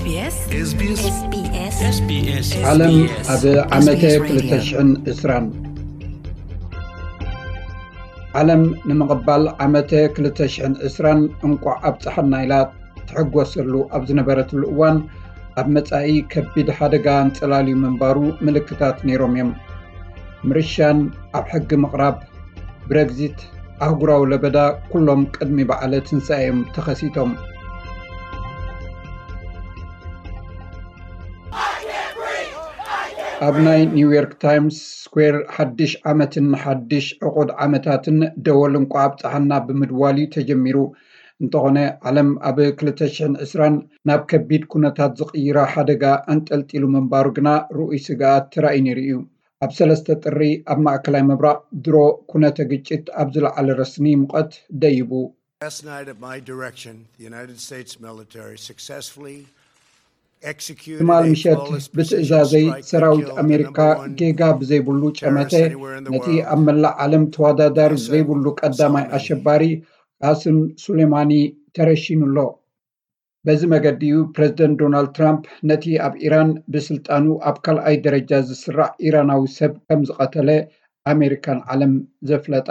SBS SBS ዓለም ኣብ ዓመተ SBS Radio። ክልተ ሽሕን ዕስራን። ዓለም ንምቕባል ዓመተ ክልተ ሽሕን ዕስራን እንቋዕ ኣብጽሓና ኢላ ትሕጎሰሉ ኣብ ዝነበረትሉ እዋን፣ ኣብ መጻኢ ከቢድ ሓደጋ ኣንጸላልዩ ምንባሩ ምልክታት ነይሮም እዮም። ምርሻን ኣብ ሕጊ ምቕራብ፣ ብረግዚት፣ ኣህጉራዊ ለበዳ፣ ኩሎም ቅድሚ በዓለ ትንሳኤ እዮም ተኸሲቶም። ኣብ ናይ ኒውዮርክ ታይምስ ስኩዌር ሓድሽ ዓመትን ሓድሽ ዕቑድ ዓመታትን ደወል እንቋዕ ኣብጽሓና ብምድዋል እዩ ተጀሚሩ። እንተኾነ፣ ዓለም ኣብ ክልተ ሽሕን ዕስራን ናብ ከቢድ ኩነታት ዝቕይራ ሓደጋ ኣንጠልጢሉ ምንባሩ ግና ርኡይ ስግኣት ተራእዩ ነይሩ እዩ። ኣብ ሰለስተ ጥሪ ኣብ ማእከላይ ምብራቕ ድሮ ኩነተ ግጭት ኣብ ዝለዓለ ረስኒ ሙቐት ደይቡ። Last night, at my direction, the United States military successfully executed ትማል a ምሸት flawless ብትእዛዘይ precision strike that ሰራዊት killed the ኣሜሪካ number one ጌጋ ብዘይብሉ ጨመተ terrorist anywhere in the ነቲ world. ኣብ መላእ ዓለም ተወዳዳሪ ዘይብሉ ቀዳማይ ኣሸባሪ ቃስም ሱሌማኒ ተረሺኑ ኣሎ። በዚ መገዲ እዩ ፕረዚደንት ዶናልድ ትራምፕ ነቲ ኣብ ኢራን ብስልጣኑ ኣብ ካልኣይ ደረጃ ዝስራዕ ኢራናዊ ሰብ ከም ዝቐተለ ኣሜሪካን ዓለም ዘፍለጣ።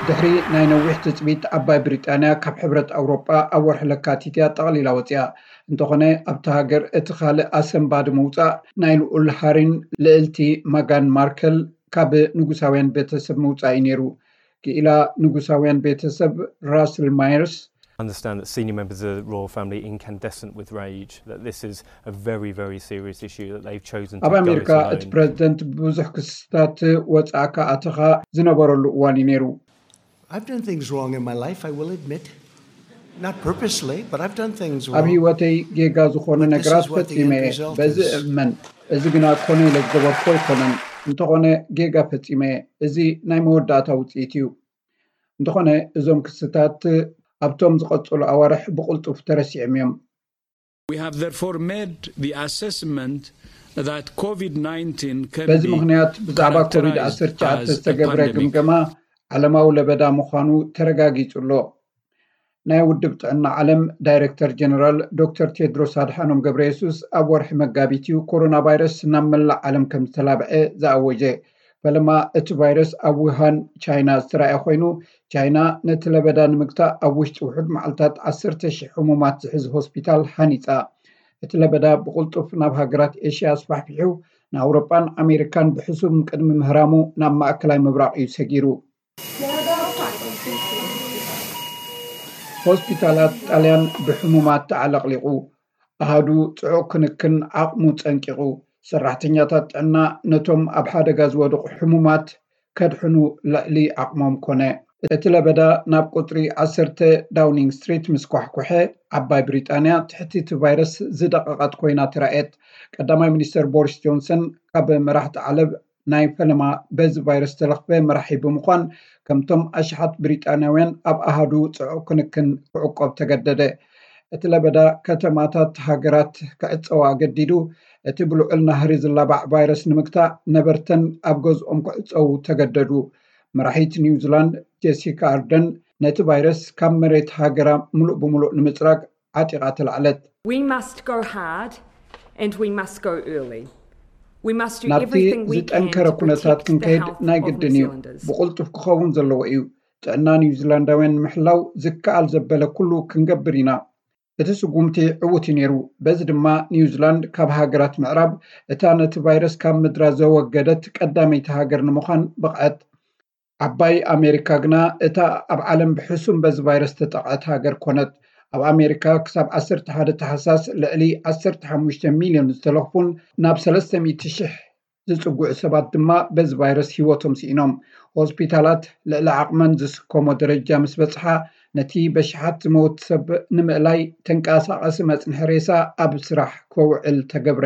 ድሕሪ ናይ ነዊሕ ትጽቢት፣ ዓባይ ብሪጣንያ ካብ ሕብረት ኣውሮጳ ኣብ ወርሒ ለካቲት እያ ጠቕሊላ ወጺኣ። እንተኾነ፣ ኣብታ ሃገር እቲ ካልእ ኣሰንባዲ ምውጻእ ናይ ልኡል ሃሪን ልእልቲ መጋን ማርከል ካብ ንጉሳውያን ቤተሰብ ምውጻእ እዩ ነይሩ። ክኢላ ንጉሳውያን ቤተሰብ ራስል ማየርስ፣ Understand that senior members of the royal family incandescent with rage, that this is a very, very serious issue, that they've chosen to ኣብ go it ኣሜሪካ እቲ alone. ፕረዚደንት ብዙሕ ክስታት ወጻእካ ኣተኻ ዝነበረሉ እዋን እዩ ነይሩ። I've done things wrong in my life, I will admit. Not purposely, but I've done things ኣብ wrong. ህይወተይ ጌጋ ዝኾኑ But this ነገራት is what the ፈጺመ end እየ። result በዚ is. እመን። እዚ ግና ኮነ ኢለ ዝገበርኩ ኣይኮነን። እንተኾነ፣ ጌጋ ፈጺመ እየ። እዚ ናይ መወዳእታ ውጽኢት እዩ። እንተኾነ፣ እዞም ክስታት ኣብቶም ዝቐጸሉ ኣዋርሕ ብቕልጡፍ ተረሲዖም እዮም። We have therefore made the assessment that COVID nineteen can በዚ be ምኽንያት፣ ብዛዕባ ኮቪድ characterized ዓሰርተ ትሽዓተ as a ዝተገብረ pandemic. ግምገማ ዓለማዊ ለበዳ ምዃኑ ተረጋጊጹ ኣሎ። ናይ ውድብ ጥዕና ዓለም ዳይሬክተር ጀነራል ዶክተር ቴድሮስ ኣድሓኖም ገብረ የሱስ፣ ኣብ ወርሒ መጋቢት እዩ ኮሮና ቫይረስ ናብ መላእ ዓለም ከም ዝተላብዐ ዝኣወጀ። ፈለማ እቲ ቫይረስ ኣብ ውሃን ቻይና ዝተራእየ ኮይኑ፣ ቻይና ነቲ ለበዳ ንምግታእ ኣብ ውሽጢ ውሑድ መዓልታት ዓሰርተ ሺሕ ሕሙማት ዝሕዝ ሆስፒታል ሃኒጻ። እቲ ለበዳ ብቕልጡፍ ናብ ሃገራት ኤሽያ ኣስፋሕፊሑ፣ ንኣውሮጳን ኣሜሪካን ብሕሱም ቅድሚ ምህራሙ ናብ ማእከላይ ምብራቕ እዩ ሰጊሩ። ሆስፒታላት ጣልያን ብሕሙማት ተዓለቕሊቑ። ኣሃዱ ጽዑቕ ክንክን ዓቕሙ ጸንቂቑ። ሰራሕተኛታት ጥዕና ነቶም ኣብ ሓደጋ ዝወደቑ ሕሙማት ከድሕኑ ልዕሊ ዓቕሞም ኮነ። እቲ ለበዳ ናብ ቁጽሪ ዓሰርተ ዳውኒንግ ስትሪት ምስ ኳሕኩሐ፣ ዓባይ ብሪጣንያ ትሕቲ እቲ ቫይረስ ዝደቐቐት ኮይና ተራእየት። ቀዳማይ ሚኒስተር ቦሪስ ጆንሰን ካብ መራሕቲ ዓለም ናይ ፈለማ በዚ ቫይረስ ዝተለኽፈ መራሒ ብምዃን፣ ከምቶም ኣሽሓት ብሪጣንያውያን ኣብ ኣሃዱ ጽዑቕ ክንክን ክዕቆብ ተገደደ። እቲ ለበዳ ከተማታት ሃገራት ክዕጸዋ ኣገዲዱ፣ እቲ ብልዑል ናህሪ ዝላባዕ ቫይረስ ንምግታእ ነበርተን ኣብ ገዝኦም ክዕጸዉ ተገደዱ። መራሒት ኒውዚላንድ ጀሲካ ኣርደን ነቲ ቫይረስ ካብ መሬት ሃገራ ምሉእ ብምሉእ ንምጽራግ ዓጢቓ ተላዕለት። We must go hard and we must go early. We must do ናብቲ everything we can ዝጠንከረ to ኩነታት protect the ክንከይድ health ናይ of New ግድን እዩ። Zealanders. ብቕልጡፍ ክኸውን ዘለዎ እዩ። ጥዕና ኒውዚላንዳውያን ንምሕላው ዝከኣል ዘበለ ኩሉ ክንገብር ኢና። እቲ ስጉምቲ ዕዉት እዩ ነይሩ። በዚ ድማ ኒውዚላንድ ካብ ሃገራት ምዕራብ እታ ነቲ ቫይረስ ካብ ምድራ ዘወገደት ቀዳመይቲ ሃገር ንምዃን በቕዐት። ዓባይ ኣሜሪካ ግና እታ ኣብ ዓለም ብሕሱም በዚ ቫይረስ ተጠቕዐት ሃገር ኮነት። ኣብ ኣሜሪካ ክሳብ ዓሰርተ ሓደ ታሕሳስ ልዕሊ ዓሰርተ ሓሙሽተ ሚልዮን ዝተለኽፉን ናብ ሰለስተ ሚእቲ ሽሕ ዝጽግዑ ሰባት ድማ በዚ ቫይረስ ህይወቶም ስኢኖም። ሆስፒታላት ልዕሊ ዓቕመን ዝስከሞ ደረጃ ምስ በጽሓ፣ ነቲ በሽሓት ዝመውት ሰብ ንምእላይ ተንቀሳቓሲ መጽንሒ ሬሳ ኣብ ስራሕ ከውዕል ተገብረ።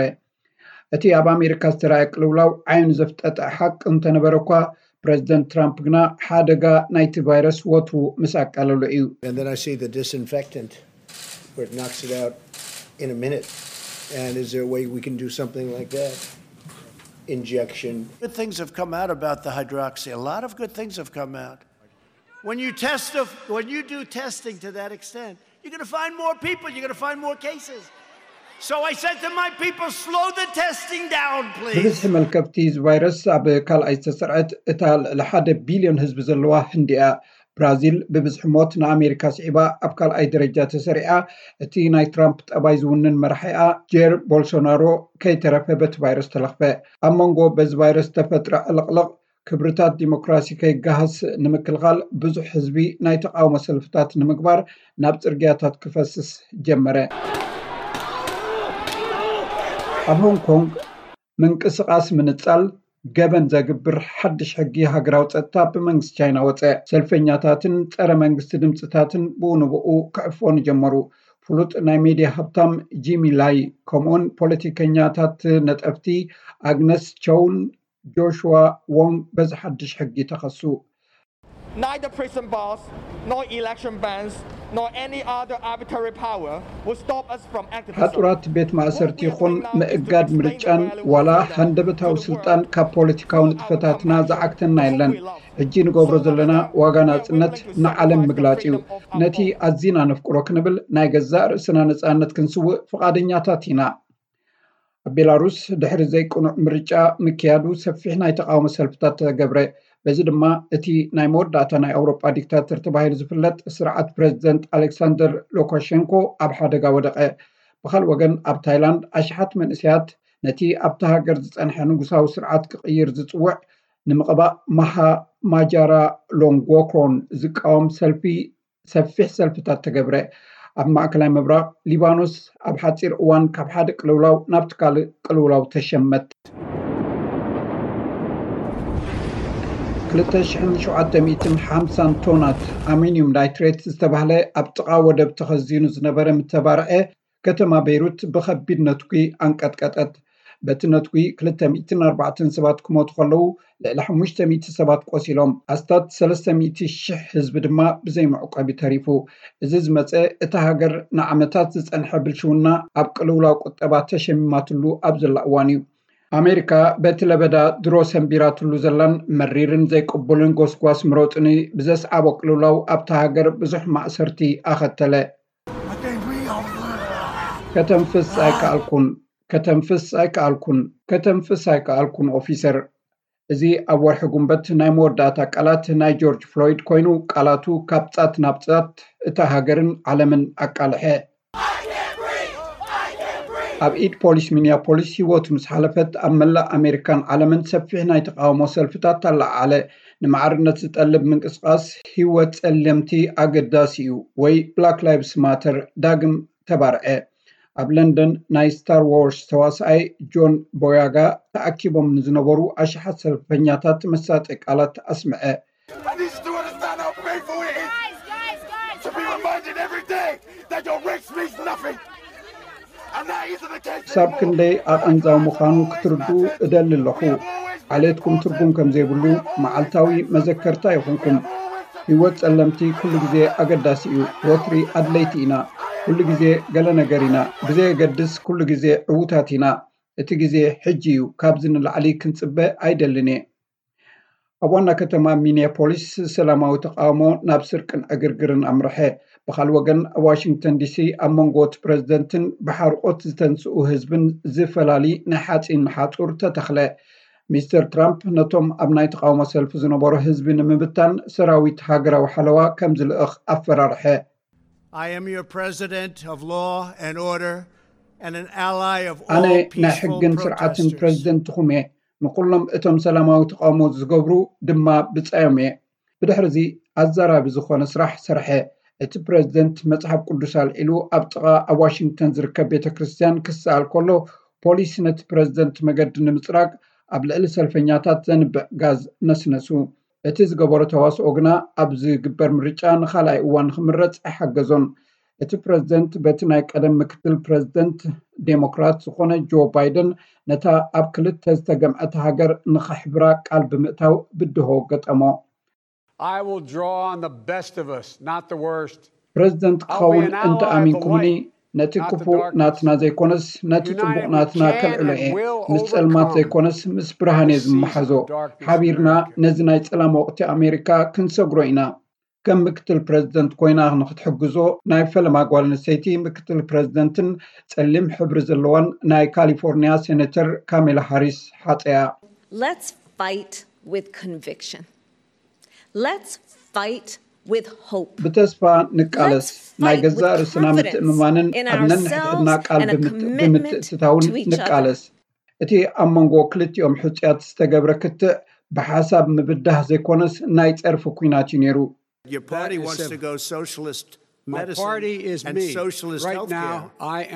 እቲ ኣብ ኣሜሪካ ዝተራእየ ቅልውላው ዓይኑ ዘፍጠጠ ሓቂ እንተነበረ እኳ፣ ፕረዚደንት ትራምፕ ግና ሓደጋ ናይቲ ቫይረስ ወትሩ ምስ ኣቃለሎ እዩ። And then I see the disinfectant where it knocks it out in a minute. And is there a way we can do something like that? Injection. Good things have come out about the hydroxy. A lot of good things have come out. When you test, when you do testing to that extent, you're going to find more people, you're going to find more cases. So I said to my people, slow the testing down, please. ብብዝሒ መልከፍቲ እዚ ቫይረስ ኣብ ካልኣይ ዝተሰርዐት እታ ልዕሊ ሓደ ቢልዮን ህዝቢ ዘለዋ ህንዲ እያ። ብራዚል ብብዝሒ ሞት ንኣሜሪካ ስዒባ ኣብ ካልኣይ ደረጃ ተሰሪዓ። እቲ ናይ ትራምፕ ጠባይ ዝውንን መራሒኣ ጄር ቦልሶናሮ ከይተረፈ በቲ ቫይረስ ተለኽፈ። ኣብ መንጎ በዚ ቫይረስ ዝተፈጥረ ዕልቕልቕ ክብርታት ዲሞክራሲ ከይገሃስ ንምክልኻል ብዙሕ ህዝቢ ናይ ተቃውሞ ሰልፍታት ንምግባር ናብ ጽርግያታት ክፈስስ ጀመረ። ኣብ ሆንግ ኮንግ ምንቅስቓስ ምንጻል ገበን ዘግብር ሓድሽ ሕጊ ሃገራዊ ጸጥታ ብመንግስቲ ቻይና ወጸ። ሰልፈኛታትን ጸረ መንግስቲ ድምፅታትን ብኡ ንብኡ ክዕፈኑ ጀመሩ። ፍሉጥ ናይ ሜድያ ሃብታም ጂሚ ላይ ከምኡውን ፖለቲከኛታት ነጠፍቲ ኣግነስ ቸውን ጆሽዋ ዎንግ በዚ ሓድሽ ሕጊ ተኸሱ። Neither prison bars, nor election bans, nor any other arbitrary power will stop us from activism. ሓጹራት ቤት ማእሰርቲ ይኹን ምእጋድ ምርጫን ዋላ ሃንደበታዊ ስልጣን ካብ ፖለቲካዊ ንጥፈታትና ዝዓግተና የለን። ሕጂ ንገብሮ ዘለና ዋጋ ናጽነት ንዓለም ምግላጽ እዩ። ነቲ ኣዚና ነፍቅሮ ክንብል ናይ ገዛእ ርእስና ነጻነት ክንስውእ ፍቓደኛታት ኢና። ኣብ ቤላሩስ ድሕሪ ዘይቅኑዕ ምርጫ ምክያዱ ሰፊሕ ናይ ተቃውሞ ሰልፍታት ተገብረ። በዚ ድማ እቲ ናይ መወዳእታ ናይ ኣውሮጳ ዲክታተር ተባሂሉ ዝፍለጥ ስርዓት ፕረዚደንት ኣሌክሳንደር ሉካሸንኮ ኣብ ሓደጋ ወደቐ። ብኻልእ ወገን ኣብ ታይላንድ ኣሽሓት መንእሰያት ነቲ ኣብታ ሃገር ዝጸንሐ ንጉሳዊ ስርዓት ክቕይር ዝጽውዕ ንምቕባእ ማሃ ማጃራ ሎንጎክሮን ዝቃወም ሰልፊ ሰፊሕ ሰልፍታት ተገብረ። ኣብ ማእከላይ ምብራቕ ሊባኖስ ኣብ ሓጺር እዋን ካብ ሓደ ቅልውላው ናብቲ ካልእ ቅልውላው ተሸመት። ክልተ ሽሕን ሸውዓተ ሚእትን ሓምሳን ቶናት ኣሚኒዩም ናይትሬት ዝተባህለ ኣብ ጥቓ ወደብ ተኸዚኑ ዝነበረ ምተባርዐ ከተማ ቤይሩት ብኸቢድ ነትጒ ኣንቀጥቀጠት። በቲ ነትጒ ክልተ ሚእትን ኣርባዕተን ሰባት ክሞቱ ከለዉ ልዕሊ ሓሙሽተ ሚእቲ ሰባት ቆሲሎም ኣስታት ሰለስተ ሚእቲ ሽሕ ህዝቢ ድማ ብዘይ መዕቆቢ ተሪፉ። እዚ ዝመፀ እታ ሃገር ንዓመታት ዝፀንሐ ብልሽውና ኣብ ቅልውላው ቁጠባ ተሸሚማትሉ ኣብ ዘላ እዋን እዩ። ኣሜሪካ በቲ ለበዳ ድሮ ሰንቢራትሉ ዘላን መሪርን ዘይቅቡልን ጎስጓስ ምረፁኒ ብዘስዓቦ ቅልውላው ኣብታ ሃገር ብዙሕ ማእሰርቲ ኣኸተለ። ከተንፍስ ኣይከኣልኩን፣ ከተንፍስ ኣይከኣልኩን፣ ከተንፍስ ኣይከኣልኩን ኦፊሰር። እዚ ኣብ ወርሒ ጉንበት ናይ መወዳእታ ቃላት ናይ ጆርጅ ፍሎይድ ኮይኑ ቃላቱ ካብ ጻት ናብ ጻት እታ ሃገርን ዓለምን ኣቃልሐ። ኣብ ኢድ ፖሊስ ሚኒያፖሊስ ህይወቱ ምስ ሓለፈት ኣብ መላእ ኣሜሪካን ዓለምን ሰፊሕ ናይ ተቃውሞ ሰልፍታት ኣለዓዓለ። ንማዕርነት ዝጠልብ ምንቅስቃስ ህይወት ጸለምቲ ኣገዳሲ እዩ ወይ ብላክ ላይቭስ ማተር ዳግም ተባርዐ። ኣብ ለንደን ናይ ስታር ዎርስ ተዋሳኣይ ጆን ቦያጋ ተኣኪቦም ንዝነበሩ ኣሽሓት ሰልፈኛታት መሳጢ ቃላት ኣስምዐ። I need you to understand how painful it is to be reminded every day that your race means nothing. And that isn't the case ክሳብ anymore. ክንደይ ኣቐንዛዊ ምዃኑ ክትርድኡ እደሊ ኣለኹ። ዓሌትኩም ትርጉም ከም ዘይብሉ መዓልታዊ መዘከርታ ይኹንኩም። ህይወት ጸለምቲ ኩሉ ግዜ ኣገዳሲ እዩ። ወትሪ ኣድለይቲ ኢና። ኩሉ ግዜ ገለ ነገር ኢና። ብዘየገድስ ኩሉ ግዜ ዕዉታት ኢና። እቲ ግዜ ሕጂ እዩ። ካብዚ ንላዕሊ ክንጽበ ኣይደልን እየ። ኣብ ዋና ከተማ ሚኒያፖሊስ ሰላማዊ ተቃውሞ ናብ ስርቅን ዕግርግርን ኣምርሐ። ብኻልእ ወገን ኣብ ዋሽንግተን ዲሲ ኣብ መንጎ እቲ ፕረዚደንትን ብሓርቆት ዝተንስኡ ህዝብን ዝፈላሊ ናይ ሓፂን ሓፁር ተተኽለ። ሚስተር ትራምፕ ነቶም ኣብ ናይ ተቃውሞ ሰልፊ ዝነበሩ ህዝቢ ንምብታን ሰራዊት ሃገራዊ ሓለዋ ከም ዝልእኽ ኣፈራርሐ። I am your president of law and order and an ally of ኣነ all ናይ peaceful ሕግን ስርዓትን protesters. ፕረዚደንትኹም እየ። ንኩሎም እቶም ሰላማዊ ተቃውሞ ዝገብሩ ድማ ብጻዮም እየ። ብድሕሪ እዚ ኣዘራቢ ዝኾነ ስራሕ ሰርሐ። እቲ ፕረዚደንት መጽሓፍ ቅዱስ ኣልዒሉ ኣብ ጥቓ ኣብ ዋሽንግተን ዝርከብ ቤተ ክርስቲያን ክሰኣል ከሎ ፖሊስ ነቲ ፕረዚደንት መገዲ ንምጽራግ ኣብ ልዕሊ ሰልፈኛታት ዘንብዕ ጋዝ ነስነሱ። እቲ ዝገበሮ ተዋስኦ ግና ኣብ ዝግበር ምርጫ ንኻልኣይ እዋን ክምረጽ ኣይሓገዞን። እቲ ፕረዚደንት በቲ ናይ ቀደም ምክትል ፕረዚደንት ዴሞክራት ዝኾነ ጆ ባይደን ነታ ኣብ ክልተ ዝተገምዐት ሃገር ንኸሕብራ ቃል ብምእታው ብድሆ ገጠሞ። I will draw on the best of us, not the worst. ፕረዚደንት ክኸውን እንተ ኣሚንኩምኒ ነቲ ክፉእ ናትና ዘይኮነስ ነቲ ጽቡቕ ናትና ከልዕሎ እየ። ምስ ጸልማት ዘይኮነስ ምስ ብርሃን እየ ዝመሓዞ። ሓቢርና ነዚ ናይ ጸላም ወቕቲ ኣሜሪካ ክንሰግሮ ኢና። ከም ምክትል ፕረዚደንት ኮይና ንክትሕግዞ ናይ ፈለማ ጓል ኣንስተይቲ ምክትል ፕረዚደንትን ጸሊም ሕብሪ ዘለዋን ናይ ካሊፎርኒያ ሴኔተር ካሜላ ሃሪስ ሓጸያ። Let's fight with conviction. Let's fight with hope. ብተስፋ ንቃለስ። ናይ ገዛእ ርእስና ምትእምማንን ኣብ ነንሕድሕድና ቃል ብምትእትታውን ንቃለስ። እቲ ኣብ መንጎ ክልቲኦም ሕጹያት ዝተገብረ ክትዕ ብሓሳብ ምብዳህ ዘይኮነስ ናይ ጸርፊ ኲናት እዩ ነይሩ። Your party wants to go socialist medicine and socialist health care.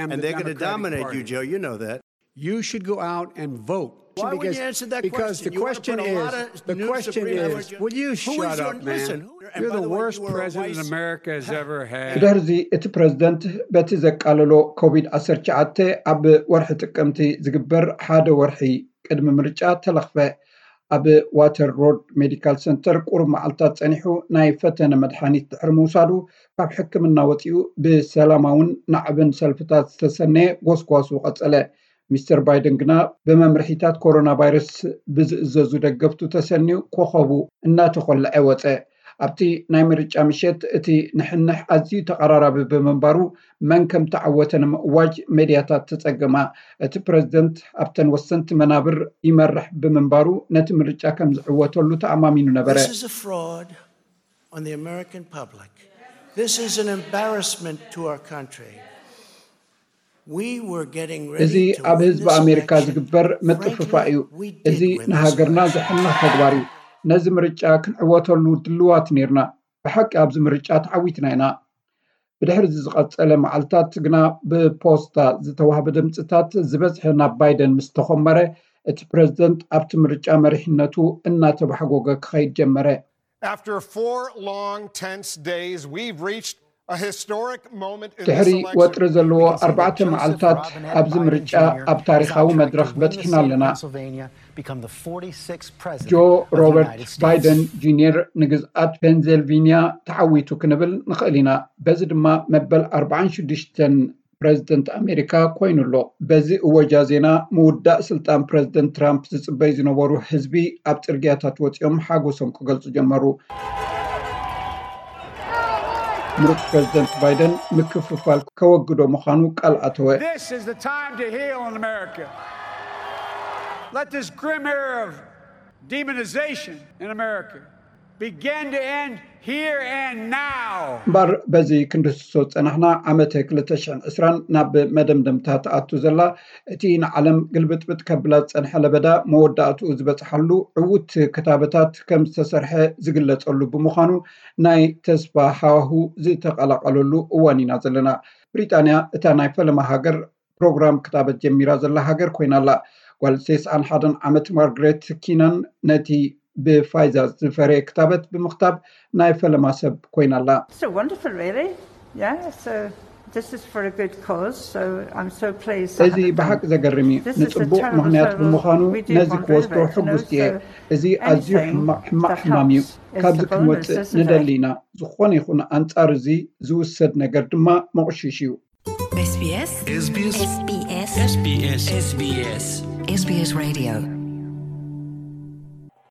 And they're going to dominate you, Joe. You know that. You should go out and vote. Why would you answer that question? Because the question is, the question is, will you shut up, man? You're the worst president America has ever had. ብድሕርዚ እቲ ፕረዚደንት በቲ ዘቃለሎ ኮቪድ ዓሰርተ ትሽዓተ ኣብ ወርሒ ጥቅምቲ ዝግበር ሓደ ወርሒ ቅድሚ ምርጫ ተለኽፈ። ኣብ ዋተር ሮድ ሜዲካል ሰንተር ቁሩብ መዓልታት ጸኒሑ ናይ ፈተነ መድሓኒት ድሕሪ ምውሳዱ ካብ ሕክምና ወጺኡ ብሰላማውን ናዕብን ሰልፍታት ዝተሰነየ ጎስጓሱ ቀጸለ። ሚስተር ባይደን ግና ብመምርሒታት ኮሮና ቫይረስ ብዝእዘዙ ደገፍቱ ተሰንዩ ኮኸቡ እናተኾልዐ ወጸ። ኣብቲ ናይ ምርጫ ምሸት እቲ ንሕንሕ ኣዝዩ ተቐራራቢ ብምንባሩ መን ከም ተዓወተ ንምእዋጅ ሜድያታት ተጸገማ። እቲ ፕረዚደንት ኣብተን ወሰንቲ መናብር ይመርሕ ብምንባሩ ነቲ ምርጫ ከም ዝዕወተሉ ተኣማሚኑ ነበረ። This is a fraud on the American public. This is an embarrassment to our country. We were getting ready እዚ ኣብ ህዝቢ ኣሜሪካ ዝግበር ምጥፍፋእ እዩ። እዚ ንሃገርና ዘሕንኽ ተግባር እዩ። ነዚ ምርጫ ክንዕወተሉ ድልዋት ነርና። ብሓቂ ኣብዚ ምርጫ ተዓዊትና ኢና። ብድሕሪ እዚ ዝቐጸለ መዓልታት ግና ብፖስታ ዝተዋህበ ድምፅታት ዝበዝሐ ናብ ባይደን ምስ ተኾመረ እቲ ፕረዚደንት ኣብቲ ምርጫ መሪሕነቱ እናተባሕጎገ ክኸይድ ጀመረ። After four long tense days, we've reached a historic moment in this ድሕሪ election. ወጥሪ ዘለዎ ኣርባዕተ መዓልታት ኣብዚ ምርጫ ኣብ ታሪኻዊ መድረኽ በፂሕና ኣለና። ጆ ሮበርት ባይደን ጁኒየር ንግዝኣት ፔንሲልቪንያ ተዓዊቱ ክንብል ንኽእል ኢና። በዚ ድማ መበል ኣርባዓን ሽዱሽተን ፕረዚደንት ኣሜሪካ ኮይኑ ኣሎ። በዚ እወጃ ዜና ምውዳእ ስልጣን ፕረዚደንት ትራምፕ ዝፅበዩ ዝነበሩ ህዝቢ ኣብ ፅርግያታት ወፂኦም ሓጎሶም ክገልፁ ጀመሩ። ምሩፅ ፕረዚደንት ባይደን ምክፍፋል ከወግዶ ምዃኑ ቃል ኣተወ። This is the time to heal in America. Let this grim era of demonization in America begin to end here and now. እምበር በዚ ክንድህስሶ ዝጸናሕና ዓመት ክልተ ሽሕን ዕስራን ናብ መደምደምታ ትኣቱ ዘላ፣ እቲ ንዓለም ግልብጥብጥ ከብላ ዝጸንሐ ለበዳ መወዳእትኡ ዝበጽሓሉ ዕዉት ክታበታት ከም ዝተሰርሐ ዝግለጸሉ ብምዃኑ ናይ ተስፋ ሃዋሁ ዝተቐላቐለሉ እዋን ኢና ዘለና። ብሪጣንያ እታ ናይ ፈለማ ሃገር ፕሮግራም ክታበት ጀሚራ ዘላ ሃገር ኮይና ኣላ። ጓል ተስዓን ሓደን ዓመት ማርግሬት ኪናን ነቲ ብፋይዘር ዝፈረየ ክታበት ብምኽታብ ናይ ፈለማ ሰብ ኮይና ኣላ። It's a wonderful, really. Yeah, so this is for a good cause, so I'm so pleased. እዚ ብሓቂ ዘገርም እዩ። ንጽቡቕ ምኽንያት ብምዃኑ ነዚ ክወስዶ ሕጉስቲ እየ። እዚ ኣዝዩ ሕማቕ ሕማቕ ሕማም እዩ። ካብዚ ክንወጽእ ንደሊ ኢና። ዝኾነ ይኹን ኣንጻር እዚ ዝውሰድ ነገር ድማ መቑሽሽ እዩ። SBS SBS SBS SBS SBS SBS Radio